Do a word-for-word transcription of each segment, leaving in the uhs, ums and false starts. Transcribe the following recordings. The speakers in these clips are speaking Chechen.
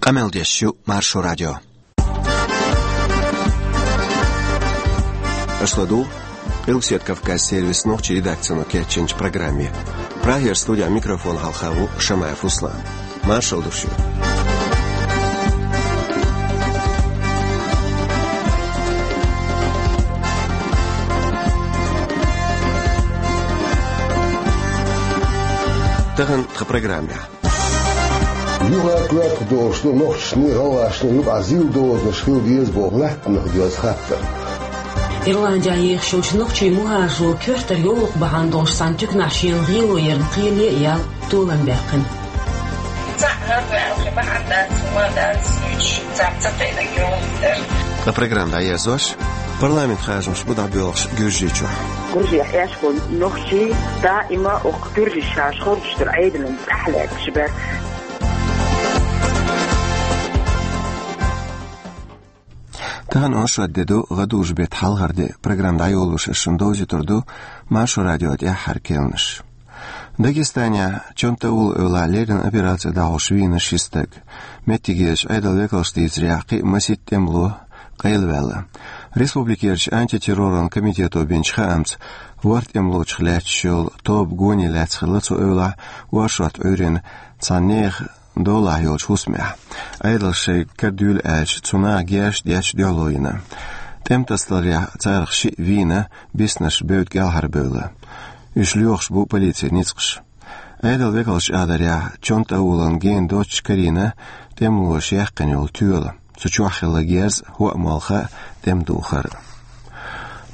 Къамел деш ю Маршо радио. Аша ладугӀу Къилбаседа Кавказан сервисан нохчийн редакцино кечйинчу программе. Прагера студин микрофона хьалха ву Шамаев Руслан. Маршалла ду шуьга. Тахана тхан программехь. Юха коьртах долуш ду нохчашний, гӀалгӀашний юкъахь зил дозанаш хила деза боху лаьттанах доьзна хаттар. Ирландехь ехаш йолчу нохчийн мухӀажаро коьртара йовлакх бахьана долуш цхьана туьканахь шена гӀело ярна кхеле а яьлла толам баьккхина. Цхьаъ хӀара ваьлла бахьана дац, хӀума дац, уьш цхьаъ ца тайнарг йовлакх дара. Ткъа программа дӀаерзош, парламент харжамаш бу дӀабоьлхуш Гуьржийчохь. Гуьржехь Ӏаш болу нохчий даима оха гуьржаш шаьш хоржуш долу Ӏедална тӀаьхьалаьцна бара. Тахана оршот де ду, гӀадужу беттан хьалхара де. Программа дӀайолош ас шуна довзуьйтур ду Маршо радион тӀаьххьара керланаш. Дагестанехь Чонта-Ула эвлахь леррина операци дӀахьош вийна ши стаг. Меттигерчу Ӏедалан векалша дийцарехь, кхин а масийтта тӀемало къайлаваьлла. Республикерчу антитерроран комитето бинчу хаамца, ворхӀ тӀемалочух лаьтташ йолу тоба гоне лаьцна хилла цу эвлахь оршот Ӏуьйренна цхьана нехан долахь йолчу хӀусамехь. Ӏедалша шайга кара дуьйла аьлча, цу наха герзаш детташ дуьхьало йина. ТӀеман тасадаларехь, царах шиъ вийна, биснарш бевдда кӀелхьарбевлла. Уьш лоьхуш бу полицин ницкъаша. Ӏедалан векалша аьлларехь, Чонта-Улана гена доццуш карийна тӀемалоша яьккхина йолу тоьла. Цу чохь хилла герз, хӀоа молха а, тӀеман духар а.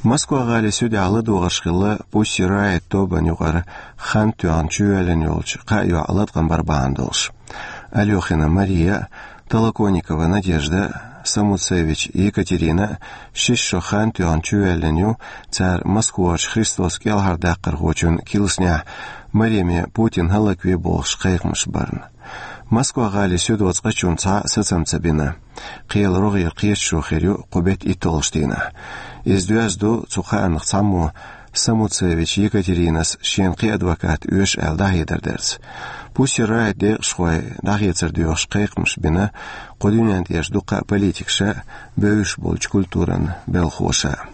Москва-гӀалин суьдехь ладогӀарш хилла Pussy Riot тобанна юкъара хан тоьхна чувоьллина йолчу кхаа йоӀан латкъам бар бахьана долуш. Алёхина Мария а, Толоконникова Надежда а, Самуцевич Екатерина а шишша хан тоьхна чувоьллина ю, цара Москварчу Христос кӀелхьардаккхархочун килснехь Мариме Путин хӀаллакве бохуш кхайкхамаш барна. Москва-гӀалин суьдо цкъачунна цхьа а сацам ца бина. Кхелан рогӀера кхеташо хир ю кху беттан итталгӀачу дийнахь. Иза доьзна ду цу кхааннах цхьаммо Самуцевич Екатеринас шена кхин адвокат оьшу аьлла дӀахьедар дарца. Pussy Riot декъашхой дӀахецар доьхуш кхайкхамаш бина кху дуьнен тӀерачу дуккха а политикаша а, бевзаш болчу культуран белхоша а.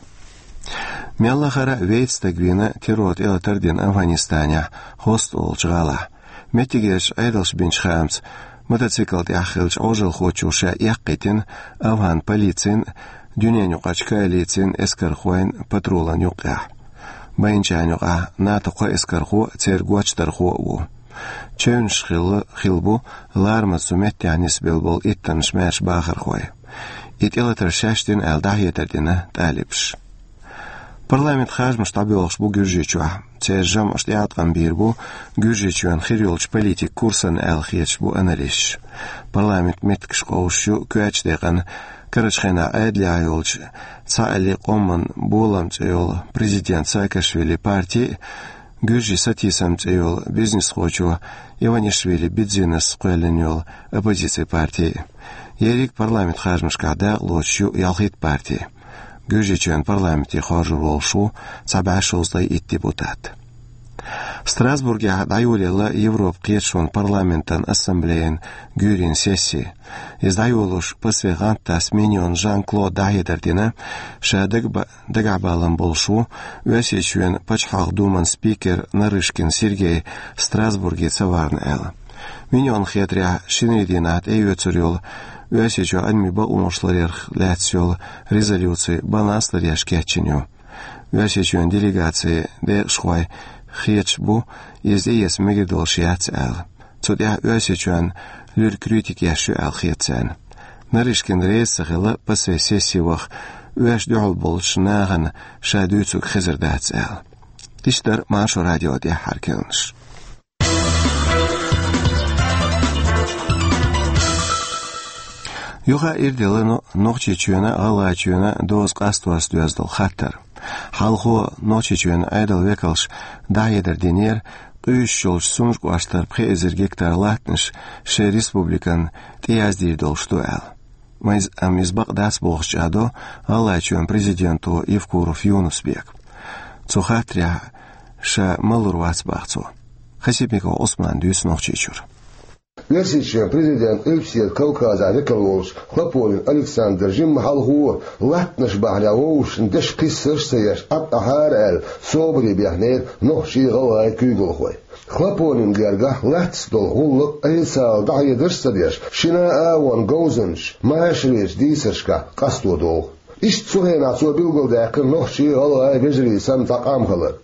Мелла а хара вейца стаг вийна террор тӀелатар дина Афганистанехь Хост олучу гӀалахь. Меттигерчу Ӏедалша бинчу хаамца, мотоцикл тӀехь хиллачу Ӏожалхочо ша эккхийтина афган полицин а, дуьненаюкъарчу коалицин а эскархойн а патрулан юккъехь. Байначарна юкъахь НАТО-н кхо эскархо а, церан гочдархо а ву. Чевнаш хилла, хилла бу ларамаза цу меттехь нисбелла болу иттаннаш маьрша бахархой. И тӀелатар шаьш дина аьлла дӀахьедар дина талибаша. Парламент харжамаш дӀабоьлхуш бу Гуьржийчохь. Церан жамӀаш тӀеӀаткъам бийр бу Гуьржийчоьнан хир йолчу политикан курсана аьлла хеташ бу аналисташ. Парламентан меттигаш къовсуш ю коьртачу декъана карарчу хенахь Ӏедалехь йолчу цхьааллин къоман болам цӀе йолу президент Саакашвили парти а, гуьржийн Сатисам цӀе йолу бизнесхочо Иванишвили Бидзинас кхоьллина йолу оппозицин парти а. Ерриг парламент харжамашкахь дакъалоцуш ю ялхитта парти. Гуьржийчоьнан парламенте хоржур волуш ву цхьа бӀе шовзткъе итт депутат. Страсбургехь дӀайолаелла Европан кхеташонан парламентан ассамблеян гуьйрийн сесси. Иза дӀайолош пассе гӀант тасса Миньон Жан-Клода дӀахьедар дина, ша дагба-, дагахь балам болуш ву Оьрсийчоьнан Пачхьалкхан Думан спикер Нарышкин Сергей Страсбурге ца вахана аьлла. Миньонна хетарехь, шинарин дийнахь тӀеоьцур йолу Оьрсийчохь адамийн бакъонаш ларъярх лаьцна йолу резолюци баланс ларъеш кечйина ю. Оьрсийчоьнан делегацин декъашхой хеташ бу, иза тӀеэца мегар долуш яц аьлла. Цу тӀехь Оьрсийчоьнна луьра критика еш ю аьлла хета царна. Нарышкин реза ца хилла пассе сесси ваха, оьрсаша дуьхьал болчу нахана ша дуьйцург хезар дац аьлла. Иштта дара Маршо радион тӀаьххьара керланаш. Юха а ирделла Но-, Нохчийчоьнан а, ГӀалгӀайчоьнан а доза къасторца доьзна долу хаттар. Хьалхо Нохчийчоьнан Ӏедалан векалша дӀахьедар динера, къуьйсуш йолчу Сунжа кӀоштара пхи эзар гектар латтанаш шайн республикана тӀеяздийр долуш ду аьлла. Ма иза, амма иза бакъ дац бохуш чӀагӀдо ГӀалгӀайчоьнан президенто Евкуров Юнус-Бека. Цу хаттарехь ша малур вац боху цо. Хасипиков Ӏусмана дуьйцу Нохчийчуьра. Оьрсийчоьнан президент Къилбаседа Кавказехь векал волчу Хлопонин Александр жимма хьалхо, латтанаш бахьанехь вовшашна дешан кхиссарш а ца еш, Ӏад Ӏахьара аьлла, собаре бехнера нохчий а, гӀалгӀай а куьйгалхой. Хлопонин гергахь лаьттас долу гӀуллакх официалан дӀахьедарш а ца деш, шина а агӀонна говзанчаша машаречу дийцаршкахь къасто догӀу. Иштта цу хенахь цо билгалдаьккхина нохчий а, гӀалгӀай а вежарий санна цхьа къам хилар.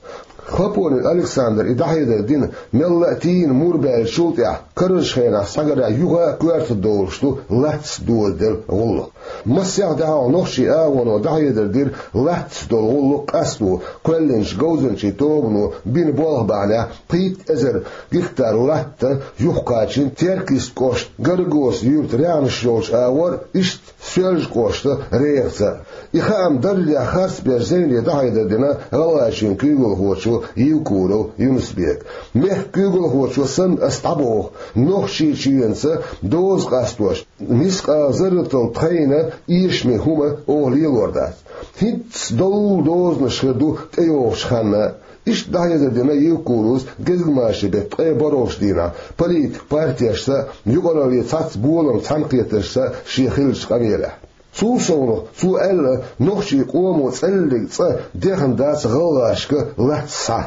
Хлопонин Александра и дӀахьедар дина мелла а тийна мур баьллачул тӀаьхьа, карарчу хенахь схьагарехь юха а коьрта долуш ду лаьттас дозаделла гӀуллакх. Массех а дӀахьалха нохчийн агӀоно дӀахьедар дира лаьттас долу гӀуллакх къасто, кхоьллинчу говзанчийн тобано бина болх бахьанехь пхийтта эзар гектар латта юхакхачийна Теркйист кӀоштан Горгосан юьртан рехнаш йолчу агӀор, иштта Соьлжа кӀоштан Рехаца. И хаам даржехь харцберш зайне дӀахьедар дина ГӀалгӀайчоьнан куьйгалхочо Евкуров Юнус-Бека. Мехкан куьйгалхочо санна ас дӀабоху, Нохчийчоьнца доза къастош, мискъала зарратал тхайна эшаме хӀума оха лелор дац. ХӀинцца доллу дозанаш хир ду тӀейогӀучу ханна. Иштта дӀахьедар дина Евкуровс гезгмашин беттан ткъе бархӀалгӀачу дийнахь политикан партешца а, юкъараллин цхьацца боламан цхьаьнакхеташца а шен хиллачу къамелехь. Цул совнаха цо аьлла, нохчийн къомо цӀеллиг цкъа дехна дац гӀалгӀашка лаьттас схьа.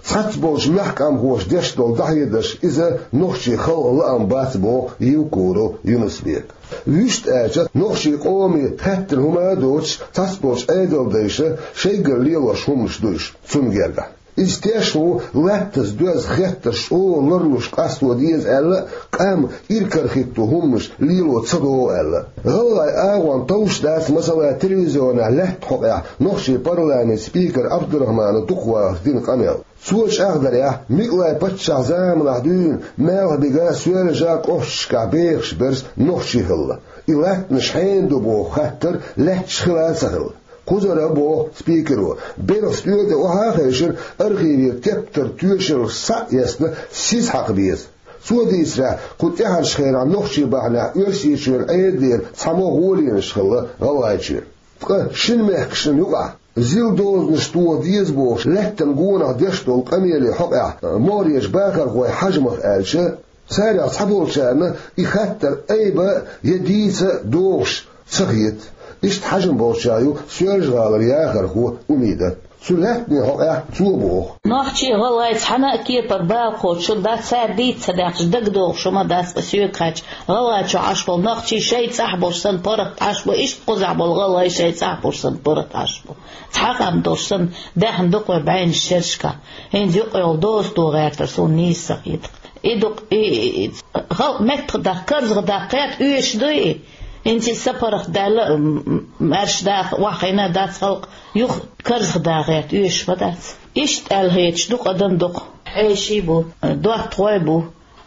Цхьацца болчу мехкан къамхоша деш долу дӀахьедарш иза нохчийн халкъан лаам бац, боху Евкуров Юнус-Бека. Вуьшта аьлча, нохчийн къоме хаьттина хӀума а доцуш, цхьацца болчу Ӏедалдайша шайгара лелош хӀуманаш ду уьш цунна гергахь. Иза тешна ву, лаьттас доьзна хеттарш чӀогӀа ларлуш къасто деза аьлла а, къам иракарахӀитто хӀуманаш лело ца догӀу аьлла а. ГӀалгӀайн агӀон товш дац, масала, телевизионехь лаьттан хьокъехь нохчийн парламентан спикера Абдурахманов дукха вахарх дина къамел. Цо чӀагӀдарехь, Микълайн паччахьан заманахь дуьйна Малхбуга, Соьлжа кӀошташкахь бехаш берш нохчий хилла. И латтанаш хьенан ду боху хаттар лаьтташ хилла а ца хилла. Кхузара, боху спикеро, белхан стӀе тӀе охьа а хевшина, архивера тептар, тоьшаллаш схьа а эцна, сиз хьакха беза. Цо дийцарехь, кху тӀаьхьарчу хенахь нохчий бахьанехь Оьрсийчоьнан Ӏедалера цхьаммо гӀоленаш хилла ГӀалгӀайчоьнан. Ткъа шина мехкашна юкъахь зил дозанаш тоха деза бохуш, лаьттан гонах деш долу къамеле хьокъехь могӀарерчу бахархойн хьажамах аьлча, царех цхьаболчарна и хаттар айба а, я дийца а догӀуш ца хета. Иштта хьажам болчарах ю Соьлжа-ГӀалара яхархо Умида. Цу лаьттанийн хьокъехь цо боху: Нохчий а, гӀалгӀай а цхьана а кепара бала кхочуш дац, цара дийца ца даьккхича дагадогӀуш хӀума дац, ткъа соьга хаьттича, ГӀалгӀайчохь Ӏаш болу нохчий шайн цӀахь болуш санна паргӀат Ӏаш бу, иштта кхузахь болу гӀалгӀай шайн цӀахь болуш санна паргӀат Ӏаш бу. Цхьа къам долуш санна, даьхна ду-кх вай бӀеннаш шерашкахь. ХӀинца юкъа йолу доза тоха гӀертар суна нийса ца хета-кх. И ду-кх, и, и, и, халкъ меттахдаккха, карзахдаккха гӀерта оьшуш ду и. ХӀинца иза сапаргӀатдаьлла, м, м, маьрша даха охьахиъна дац халкъ, юха карзахдаккха гӀерта оьшуш ма дац. Иштта аьлла хеташ ду-кх адам дукха. Хьеший бу, доттагӀой бу.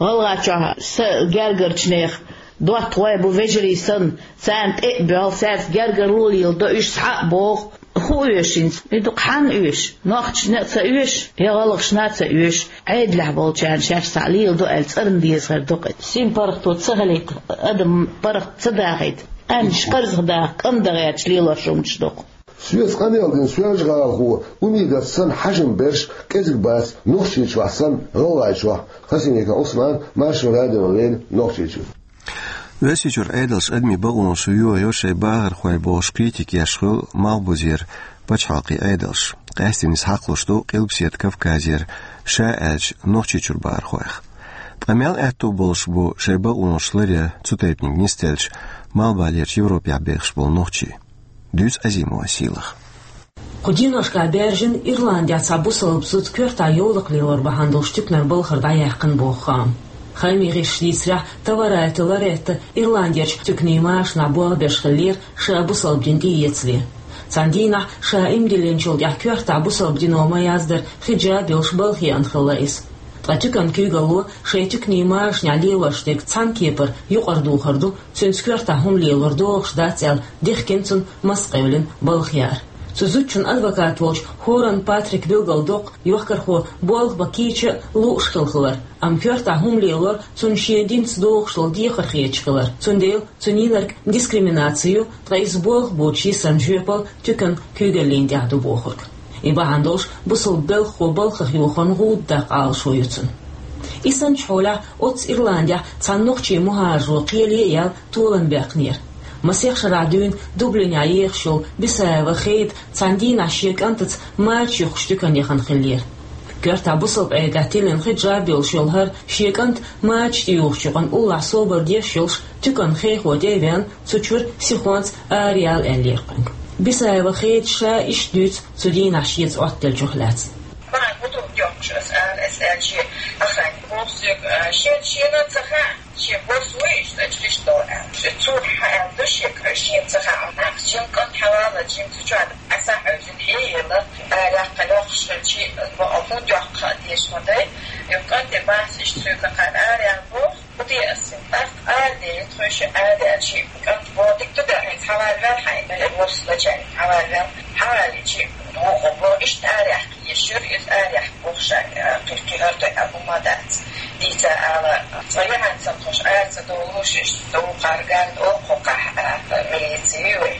ГӀалгӀайчохь сан гергарчу нехан доттагӀой бу, вежарий санна, царна тӀе а боьлху, цаьрца гергарло леладо, уьш схьа а богӀу. ХӀун оьшу хӀинца? И ду-кх хьанна оьшу? Нохчашна а ца оьшу, я гӀалгӀашна а ца оьшу. Ӏедалехь болчарна шаьш схьа леладо аьлла цӀарна деза хир ду-кх. Сима паргӀато ца хилийта, адам паргӀат ца дахийта, къаьмнаш карзахдаккха, кӀандан гӀерташ лелош хӀуманаш ду-кх. Соьца къамел дина Соьлжа-ГӀалахо Умидас санна хьажам берш кӀезиг бац Нохчийчохь санна ГӀалгӀайчохь. Хасимиков Ӏусман, Маршо радиона леррина, Нохчийчуьра. Оьрсийчуьра Ӏедалша адамийн бакъонаш йохайо шайн бахархой бохуш критика еш хуьлу малхбузера пачхьалкхийн Ӏедалш. Къаьсттина иза хьакхалуш ду Къилбаседа Кавказера, ша аьлча, Нохчийчуьра бахархойх. Ткъа мел аьтто болуш бу шайн бакъонаш ларъян цу тайпаниг нисделча, малхбалерчу Европехь бехаш болу нохчий? Дуьйцу Азимова Сийлаха. Кху деношкахь баьржина Ирландехь цхьа бусалба зуда коьртахь йовлакх лелор бахьана долуш туьканара балхара дӀаяьккхина боху хаам. Хаамийн гӀирсаша дийцарехь, Таварайта Лоретта Ирландерчу туьканийн машанахь болх беш хиллера ша бусалба дин тӀеэцале. Цхьана дийнахь ша иман диллинчул тӀаьхьа коьртахь бусалба дино ма-яздар хиджаб йолуш балха еана хилла иза. Ткъа туьканан куьйгалло шайн туьканийн машанехь лелош дерг цхьана кепара юкъара духар ду, цуьнца коьртахь хӀума лелор догӀуш дац аьлла, дихкина цунна маскъевлина балха яар. Цу зудчун адвокат волчу Хоран Патрика билгалдоккху, йохкархо болх бан кийча а, лууш хилла хилар, амма коьртахь хӀума лелор цунна шен динца догӀуш долу дехар хеташ хилар. Цундела цуьнан йинарг дискриминаци ю, ткъа иза болх боцуш йисина жоьпалла туьканан куьйгаллина тӀехь ду бохург. И бахьана долуш бусалба белхахо балхах йохорна гӀуда даккха Ӏалашо ю цуьнан. И санчу хьолехь оццу Ирландехь цхьана нохчийн мухӀажаро кхеле а яьлла толам баьккхинера. Масех шарахь дуьйна Дублинехь ехаш йолу Бисаева Хеда цхьана дийнахь шен кӀантаца мача юхкучу туькана яхана хиллера. Коьртахь бусалба Ӏедалехь тиллина хиджаб йолуш йолу хӀара шен кӀант мача тӀеюхучу юкъана уллохь собар деш йолуш туьканан хехо тӀе а веана, цу чуьра сихонца араяла аьллера кхуьнга. Бисаева Хеда ша иштта дуьйцу цу дийнахь шеца Ӏоттаделлачух лаьцна. Бахьана хӀун ду йоккхуш аса ара, аса аьлча, охранник боху соьга, а, шен, шена ца хаьа, шен бос ву иштта, ача хиш долу аьлла. Цо хьан аьлла ду шега, шена ца хаьа, нах, шен кӀант хьавалла, шен цу чохь Ӏаса хьаьвзина хьеяла, ара яккха лохуш хилчи, бо а хӀун доьхку хаа дезаш ма дай, и кӀанте бахьа иштта соьга кхана ара яла боху. ХӀун де аса? ТӀаккха ара де, тхойша ара аьлчи, кӀант боху, дика ду дан, хӀинца хьавалвел хьайна, э, ворс лачарна хьавалвел, хьаваличи, вукхо боху, иштта ара яхка езаш яра, иза ара яхка боху ша, э, кхирки хӀара ду аьлла хӀума дац. Дийца ала, цкъа яхьанца тхуш ара ца долуш, иштта ду кхарган, окху кхахь, э, милици вай.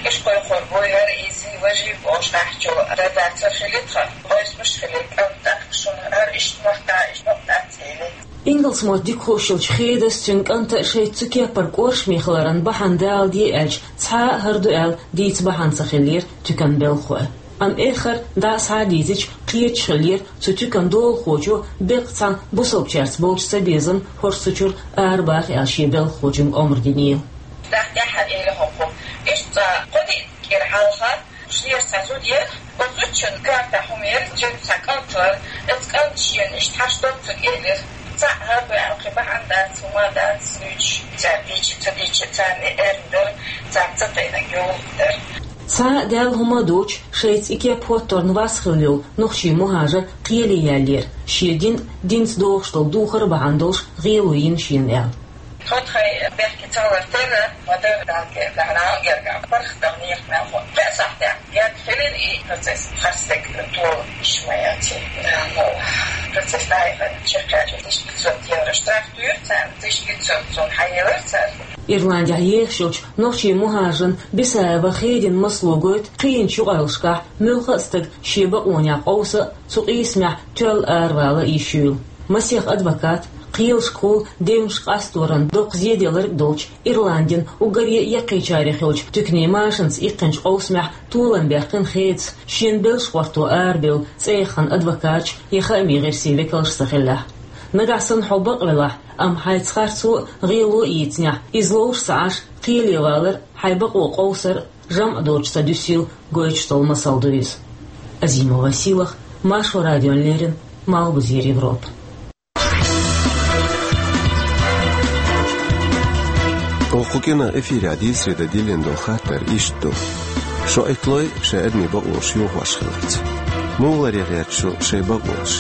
Иш кхойкхур бу, хӀара иза, важи бохуш къахьчу, ара дацар хили тхан, къойсмаш хили, кӀант тӀаккха шуна, хӀара иштта мотт, иштта мотт дац хили. Ингалс мотт дика хууш йолчу Хедас, цуьнан кӀанта шайца цу кеппара кӀоршаме хиларан бахьана даладе аьлча, цхьа а хӀара ду аьлла дийца бахьана ца хиллера туьканан белхахой. Амма эххар дӀа а схьа а дийцича, кхеташ хиллера цу туьканан долахочо беккъа цхьана бусалбачаьрца болчу цабезам хӀорш цу чуьра арабаха аьлла шен белхахочуьнга омра динийла. ТӀаккха тӀаьххьара элира хӀокхо: «Иштта цкъа кхо де кӀира хьалха, шера цхьа зуда яра, оцу зудчун коьртахь хӀума яра, цуьнан цхьа кӀант вара, оцу кӀанта шена иштта хьаш доцург элира. Цхьаъ хӀара ду аьлла кхин бахьана дац, хӀума дац, дуьйцуш, цара дийча, ца дийча, царна и эрна дара, царна ца тайнарг йовлакх дара». Цхьа а даьлла хӀума а доцуш, шайца и кеп хӀотторна вас хилла йолу нохчийн мухӀажар кхеле яьллера, шен дин, динца догӀуш долу духар а бахьана долуш гӀело йина шена аьлла. Тхо тхайн бехке ца лар терра, ма-дарра Далла кӀел даьхьна герга, паргӀатдала нехан мел хӀун. Пхеа сахьтехь герга хилира и процесс, хьастаг тола иш ма яци. Ну, процесс дӀаяхана чекхъяьлча, тысяча пятьсот евро штраф туьйра царна, тысяча пятьсот сом хьаелира цара. Ирландехь ехаш йолчу нохчийн мухӀажарна Бисаева Хедина масло гойту кхиъначу юкъараллашкахь муьлхха а стаг шен бакъонех къовса а, цу къийсамехь тоьлла аравала а йиш юйла. Масех адвокат, кхелашкахула девнаш къасторан доккха зеделларг а долчу Ирландин уггаре а яккхийчарех йолчу туьканийн машанца иккхинчу къовсамехь толам баьккхина Хедас, шена белш гӀорто арабевлла цӀе яхана адвокаташ я хаамийн гӀирсийн векалш ца хиллехь. Нагахь санна хьо бакъвелахь, амма хьайца харцо а, гӀело а йийцинехь, иза ловш ца Ӏаш, кхеле валар а, хьайн бакъо къовсар а жамӀ доцуш ца дуьсийла гойтуш долу масал ду иза. Азимова Силах, Маршо радиона леррина, Малхбузера Европа. Оха кху кӀиранах эфирехь дийцаре дан диллина долу хаттар иштта ду: шо Ӏитталой шайн адамийн бакъонаш йохош хиларца? Муха ларъян гӀерта шу шайн бакъонаш?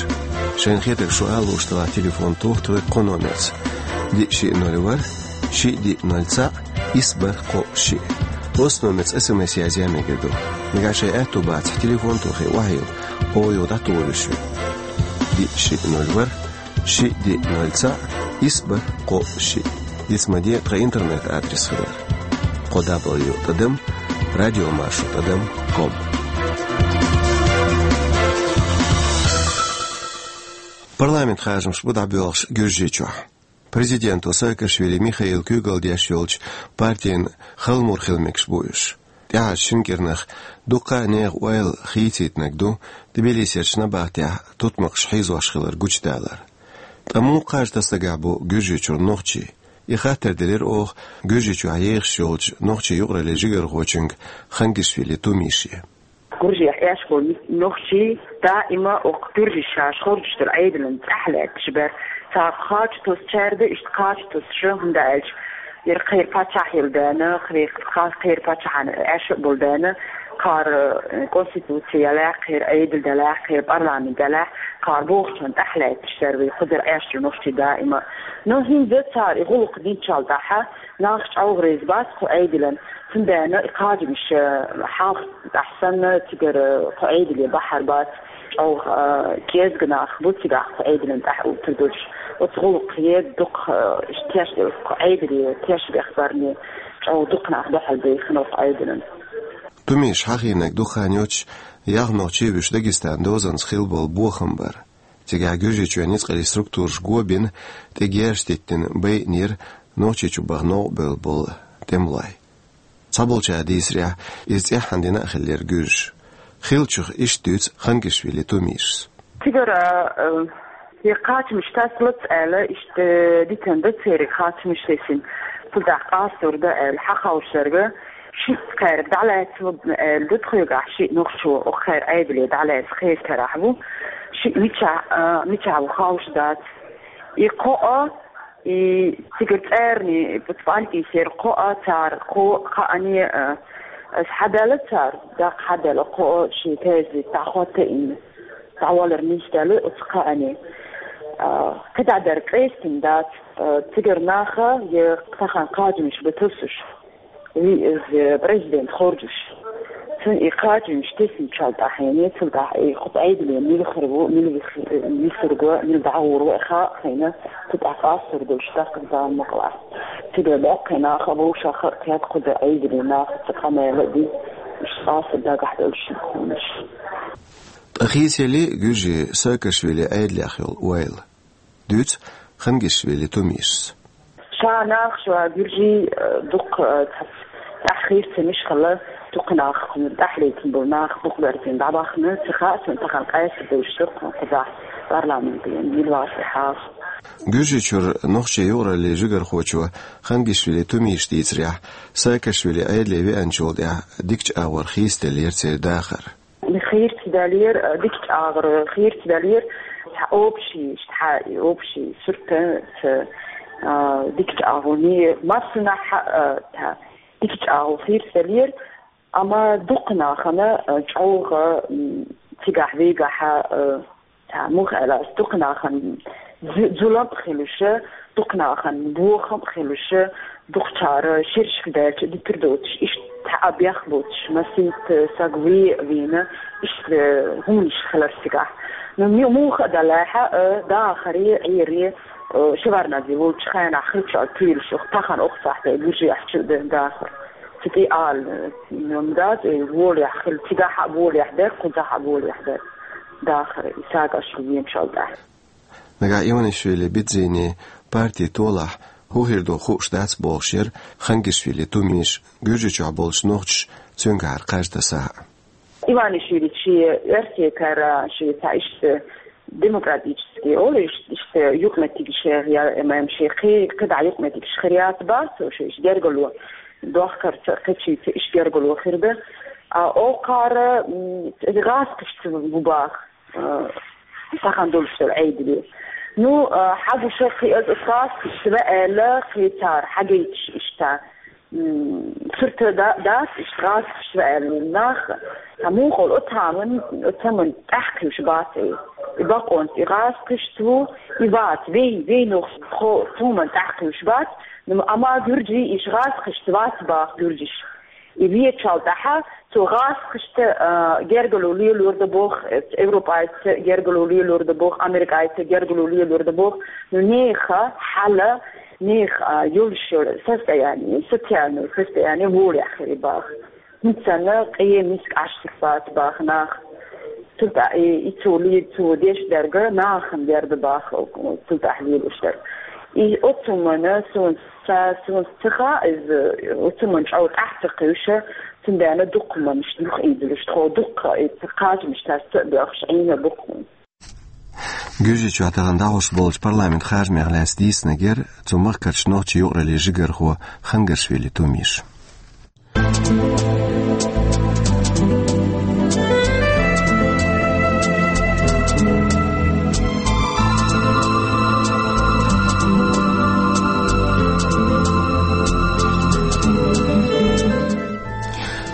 Шайна хетарг шу ала лууш делахь, телефон тоха тхоьга кху номерца: диъ шиъ ноль ворхӀ, шиъ диъ ноль цхьаъ, исс бархӀ кхоъ шиъ. Оцу номерца эс эм эс язъян мегар ду. Нагахь шайн аьтто бацахь, телефон тохий, охьайилла, оха юха дӀатухур ю шуьга. Диъ шиъ ноль ворхӀ, шиъ диъ ноль цхьаъ, исс бархӀ кхоъ шиъ. Диц ма де тхан интернет-адрес хилар: кхо дабл ю тӀадам радиомаршо тӀадам ком. Парламент харжамаш бу дӀабоьлхуш Гуьржийчохь. Президенто Саакашвили Михаила куьйгалла деш йолчу партина хала мур хила мегаш бу уьш. ТӀаьхьарчу шина кӀиранах дуккха а нехан ойла хийцийтинарг ду Тбилисерчу набахтехь тутмакхаш хьийзош хилар гучудалар. Ткъа муха кхаж тасадагахь бу Гуьржийчуьра нохчий? И хаттар делира оха Гуьржийчохь ехаш йолчу нохчийн юкъараллин жигархочуьнга Хангишвили Тумише. Гуржех эшхо нохчий даима окху гуьржий шаьш хоржуш дара Ӏедалан тӀаьхьа лаьтташ бара. Цара кхача тосучаьрда, иштта кхача тосуша, хӀунда аьлча яра кхера паччахь йила даьна, кхера, кхера паччахьан эша а болу даьна, кхара, э, конституци ялахь, кхера Ӏедал далахь, кхера парламент далахь, кхара бохучунна тӀаьхьа лаьтташ дара вай кхузара Ӏешчу нохчий даима. Но хӀинца цара и гӀуллакх динчул тӀаьхьа нах чӀогӀа реза бац кху Ӏедалан. Цундела и кхачамаш, э, хьалха тӀехь санна, цигара кху Ӏедале бахьар бац, чӀогӀа, э, кӀезга нах бу цигахь кху Ӏедалан тӀехь уттар долуш. Оцу гӀуллакхе дукха, э, теш, кху Ӏедале теш бехбарне чӀогӀа дукха нах дуьхьал бехна кху Ӏедалан. Тумиша хьахийнарг дукха хан йоццуш ялх нохчий вуьйш Дагестанан дозанца хилла болу бохам бара. Цигахь Гуьржийчоьнан ницкъаллин структураш го бина, тӀе герзаш диттина, байинера Нохчийчу баха новкъа бевлла болу тӀемалой. Цхьаболчара дийцарехь, иза цӀеххьана дина а хиллера гуьржаша. Хиллачух иштта дуьйцу Хангишвили Тумишас. Цигара, э, и кхачамаш тасалац аьлла, иштта дитина ду церан кхачамаш тесна. Цу тӀехь къастор ду аьлла, хьан ховшарга, шиъ кхаьрга дӀалаьцна аьлла ду тхоьгахь, шиъ нохчо, оха кхаьрга Ӏедале дӀалаьцна кхечу карахь ву. Шиъ мичахь, а, мичахь ву ховш дац. И кхоъ, и цигара цӀарна, и пуцпанкисера кхоъ цара, кхо, кхаъне, а, ас хьадаьлла цара, даккха хьадаьлла кхоъ шен тезет дӀахӀотта а йина, дӀавалар нисдаьлла оцу кхаъне. А, кхидӀа дара къестина дац, а, цигара наха, я тахана кхачамаш бан тосуш. Вий, иза президент хоржуш. Цуьнан и кхачамаш тесначул тӀаьхьенна, цул тӀаьхьа и кху Ӏедале мила хир ву, мила вис-, висург ву, мила дӀагӀур ву, и хаа а хиъна, цу тӀехь къастор долуш даккха бан мукъалахь. Цигара боккхий нах а, вовшах а кхетта кхуза Ӏедале наха цу къамел а дина, уьш къастор дагахь долуш хӀуманаш. Ткъа хийцаеллий гуьржийн Саакашвили Ӏедалех йолу ойла? Дуьйцу Хангишвили Тумишас. Ша нах, ша гуьржий, э, дукха, э, цхьацца тӀаьхьа хийцамаш хилла, дукха нах, кхунна тӀаьхьа летина болу нах дукха берзина дӀабахна, ца хаьа суна тахана къаьстина долуш ду кхузахь парламентехь, мила вац и хьал. Гуьржийчуьра нохчийн юкъараллин жигархочо Хангишвили Тумишас дийцарехь, Саакашвили Ӏедале веанчул тӀаьхьа дикачу агӀор хийцаделлера церан дахар. Хийрца далийра, дикачу агӀор хийрца далийра, цхьа общий, цхьа общий сурт, ца, а, дикачу агӀор, массанхьа, а, цхьа дикачу агӀор хийрца далийра, амма дукха нахана, а, чӀогӀа, м, цигахь вегахь, а, цхьа муха аьлла, дукха нахана зу-, зулам а хилуш, дукха нахана бохам а хилуш, дукхачара шерашка даьлча дитар доцуш, иштта цхьа а бех боцуш, масийтта саг ве а вийна, иштта хӀуманаш хилар цигахь. Ну, ми-, муха а далахь, э, дахаре, Ӏере, э, Шевардназе волчу хенахь хиллачул туьйлуш, оха тахана оха сахьте гуьржехь чу а дара дахар. Цу тӀе ала, э, м, дац, э, волехь хилла, цигахь а волехь дара, кхузахь а волехь дара дахар, и Саакашвили веначул тӀаьхьа. Нагахь Иванишвили Бидзини партин толахь хӀун хир ду хууш дац бохуш яра Хангишвили Тумиш, Гуьржийчохь болчу нохчаша цуьнгахьара кхаж тасахь а. Иванишвилис шен оьрсекара, шен цхьа иштта демократический олу, иштта, иштта юкъаметтигаш я, я, эм, шен кхи-, кхидӀа юкъаметтигаш хир яц бац, цо шен иштта гергарло дохкарца, кхечуьнца иштта гергарло хир ду. А, окхара, м, гӀазкхашца ву баха. Э, сахан долуш долу Ӏедале. Ну, э, хьагуша кхин а гӀазкхашца ву аьлла, кхин цара хьагайташ иштта, м, сурт да-, дац, иштта гӀазкхашца ву аьлла нах. Ткъа муха олу, оцу хӀуманна, оцу хӀуманна тӀаьхьакхуьуш бац и. И бакъонца и гӀазкхашца ву, и вац, вей, вей нохчий, тхо-, цу хӀуманна тӀаьхьакхуьуш бац, ну, амма гуьржий, иштта гӀазкхашца вац баха гуьржаш. И веачул тӀаьхьа цо гӀазкхашца, а, гергарло лелор ду боху, Европайца гергарло лелор ду боху, Америкайца гергарло лелор ду боху. Ну, нехан хьал, нехан, а, йолуш йолу состояние, социальное состояние волехь хир баха. ХӀинца санна къен миска Ӏаш ца бац баха нах. Цу тӀа-, и, и цо ле-, цо деш дерг нахана дер ду баха, цу тӀехь лелош дерг. И оцу хӀуманна суна Ца, суна ца хаьа иза, оцу хӀуманна чӀогӀа тӀаьхьа ца кхуьуш, цундела дукха хӀуманаш юха ийзалуш, тхо дукха и кхачамаш тасса а боьлхуш, Ӏийна бу-кх. Гуьржийчохь тахана дӀахьош болчу парламентан харжамех лаьцна дийцинарг яра цу махкарчу нохчийн юкъараллин жигархо Хангашвили Тумиш.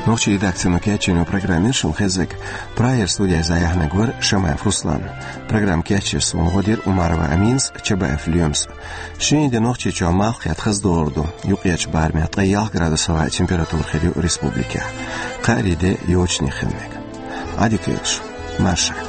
Нохчийн редакцино кечйина программа яра шуна хезнарг. Прагера студехь иза яхьнарг вара Шамаев Руслан. Программа кечъеш суна гӀо дира Умарова Аминас, Чабаев Лоьмас. Шина де Нохчийчохь малх кхетта хаза догӀур ду, юккъерчу барамехь ткъе ялх градус хӀаваан температура хир ю республикехь. Кхаарин де йочане хила мега. Ӏадика йойла шу, маршалла.